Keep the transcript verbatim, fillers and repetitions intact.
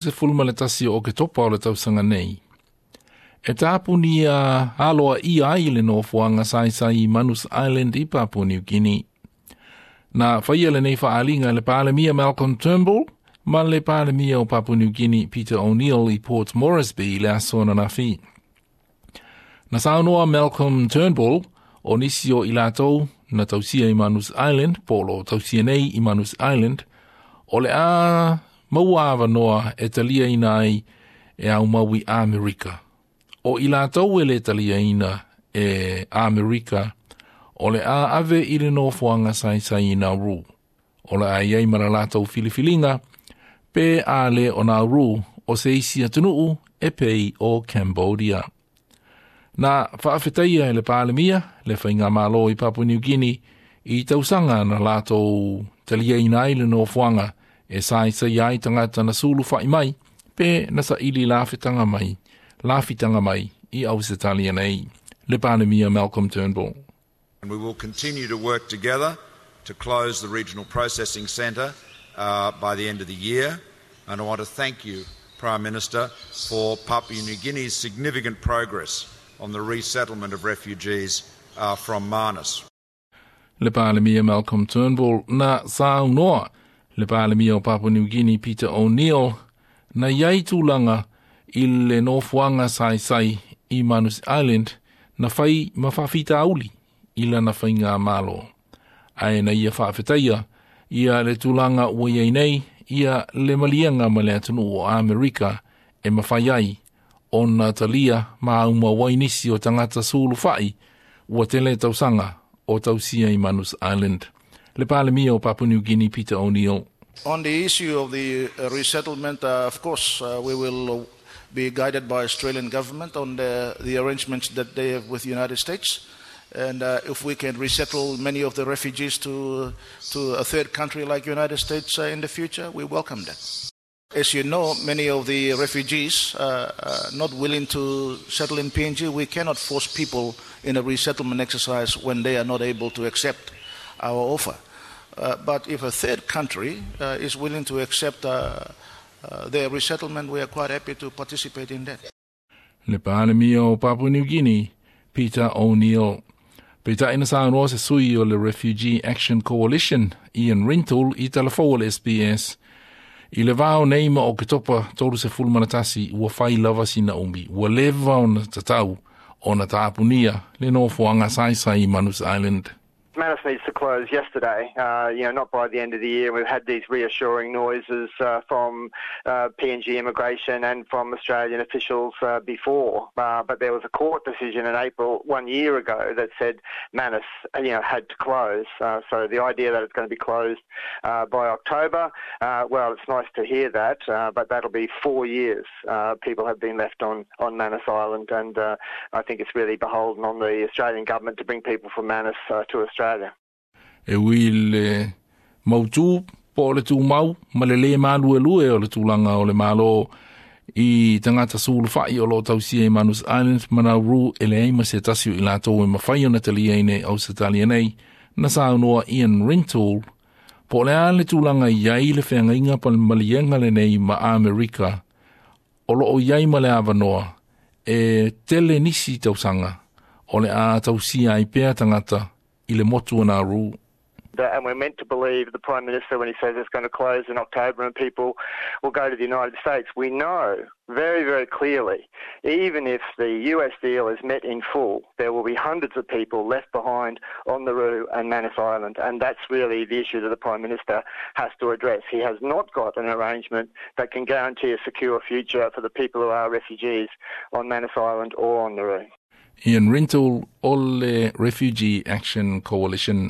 Sefulu ma le tasi o Oketopa o le tausaga nei. E tapunia aloaia ai le nofoaga saisai i Manus Island i Papua New Guinea. Na faia lenei faaaliga e le Palemia Malcolm Turnbull ma le Palemia o Papua New Guinea Peter O'Neill i Port Moresby i le aso ananafi. Na saunoa Malcolm Turnbull o nisi o i latou na tausia i Manus Island, po o lo o tausia nei i Manus Island, o le a maua avanoa e taliaina ai e aumau i Amerika. O i latou e le taliaina e Amerika, o le a ave i le nofoaga saisai i Nauru. O le a i ai ma le latou filifiliga, pe a le o Nauru o se isi atunuu e pei o Cambodia. Na faafetaia e le Palemia, le Faigamalo i Papua New Guinea, i tausaga na latou taliaina ai le nofoaga e saisai ai tagata na sulufa'i mai, pe na saili lafitaga mai, lafitaga mai i Ausetalia nei. Le Palemia Malcolm Turnbull. And we will continue to work together to close the Regional Processing Centre uh, by the end of the year. And I want to thank you, Prime Minister, for Papua New Guinea's significant progress on the resettlement of refugees uh, from Manus. Le Palemia Malcolm Turnbull. Na saunoa le Palemia o Papua New Guinea Peter O'Neill na iai tulaga i le nofoaga saisai i Manus Island na fai ma faafitauli i lana faigamalo. Ae na ia faafetaia ia le tulaga ua iai nei ia le maliega ma le atunuu o Amerika e mafai ai ona talia ma aumau ai nisi o tagata sulufa'i ua tele tausaga o tausia i Manus Island. Le Palemia o Papua New Guinea Peter O'Neill. On the issue of the uh, resettlement, uh, of course, uh, we will be guided by Australian government on the, the arrangements that they have with the United States. And uh, if we can resettle many of the refugees to, to a third country like United States uh, in the future, we welcome that. As you know, many of the refugees uh, are not willing to settle in P N G. We cannot force people in a resettlement exercise when they are not able to accept our offer. Uh, but if a third country uh, is willing to accept uh, uh, their resettlement, we are quite happy to participate in that. Le Palemia o Papua New Guinea, Peter O'Neill. Peitai na saunoa se sui o le Refugee Action Coalition, Ian Rintoul, i talafou o le S B S. I le vao nei ma Oketopa tolusefulu ma le tasi ua fai lava sina umi. Ua leva ona tatau ona tapunia le nofoaga saisai i Manus Island. Manus needs to close yesterday, uh, you know, not by the end of the year. We've had these reassuring noises uh, from uh, P N G immigration and from Australian officials uh, before. Uh, but there was a court decision in April one year ago that said Manus, you know, had to close. Uh, so the idea that it's going to be closed by October, well, it's nice to hear that, but that'll be four years people have been left on, on Manus Island, and I think it's really beholden on the Australian government to bring people from Manus to Australia. Australia. E ui le mautu po o le tumau ma le le maluelue o le tulaga o le Malo i tagata sulufa'i o lo o tausia i Manus Island ma Nauru e leai ma se tasi o i latou e mafai ona taliaina i Ausetalia nei, na saunoa Ian Rintoul po o le a le tulaga i ai le feagaiga pa maliega lenei ma Amerika o lo o i ai ma le avanoa e tele nisi tausaga o le a tausia ai pea tagata i le motu o Nauru. And we're meant to believe the Prime Minister when he says it's going to close in October and people will go to the United States. We know very, very clearly, even if the U S deal is met in full, there will be hundreds of people left behind on Nauru and Manus Island. And that's really the issue that the Prime Minister has to address. He has not got an arrangement that can guarantee a secure future for the people who are refugees on Manus Island or on Nauru. Ian Rintoul o le Refugee Action Coalition.